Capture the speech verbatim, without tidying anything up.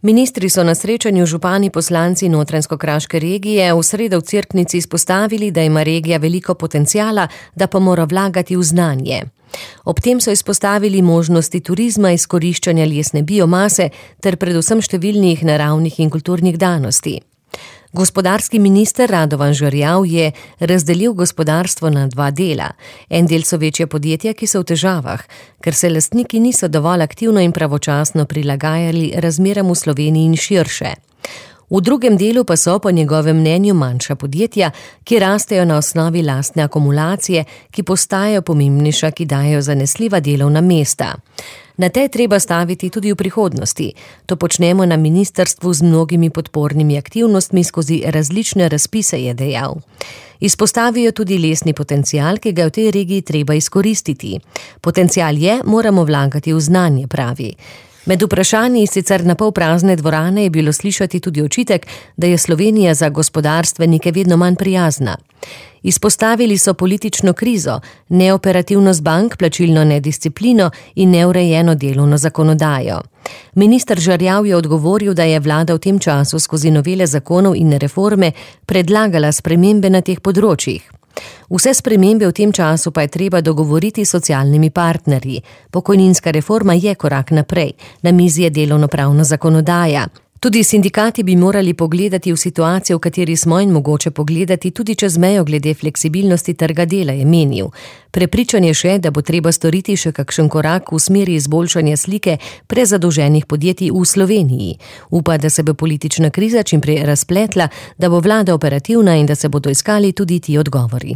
Ministri so na srečanju župani poslanci Notranjsko-kraške regije v sredo v Cerknici izpostavili, da ima regija veliko potenciala, da pa mora vlagati v znanje. Ob tem so izpostavili možnosti turizma, izkoriščanja lesne biomase ter predvsem številnih naravnih in kulturnih danosti. Gospodarski minister Radovan Žerjav je razdelil gospodarstvo na dva dela. En del so večja podjetja, ki so v težavah, ker se lastniki niso dovolj aktivno in pravočasno prilagajali razmeram v Sloveniji in širše. V drugem delu pa so po njegovem mnenju manjša podjetja, ki rastejo na osnovi lastne akumulacije, ki postajajo pomembnejša, ki dajo zanesljiva delovna mesta. Na te treba staviti tudi v prihodnosti. To počnemo na ministrstvu z mnogimi podpornimi aktivnostmi skozi različne razpise, je dejal. Izpostavijo tudi lesni potencial, ki ga v tej regiji treba izkoristiti. Potencial je, moramo vlagati v znanje, pravi. Med vprašanji iz sicer na pol prazne dvorane je bilo slišati tudi očitek, da je Slovenija za gospodarstvenike vedno manj prijazna. Izpostavili so politično krizo, neoperativnost bank, plačilno nedisciplino in neurejeno delovno zakonodajo. Minister Žerjav je odgovoril, da je vlada v tem času skozi novele zakonov in reforme predlagala spremembe na teh področjih. Vse spremembe v tem času pa je treba dogovoriti s socialnimi partnerji. Pokojninska reforma je korak naprej, na mizi je delovnopravna zakonodaja. Tudi sindikati bi morali pogledati v situacijo, v kateri smo in mogoče pogledati tudi čez mejo glede fleksibilnosti trga dela, je menil. Prepričan je še, da bo treba storiti še kakšen korak v smeri izboljšanja slike prezadolženih podjetij v Sloveniji. Upa, da se bo politična kriza čimprej razpletla, da bo vlada operativna in da se bodo iskali tudi ti odgovori.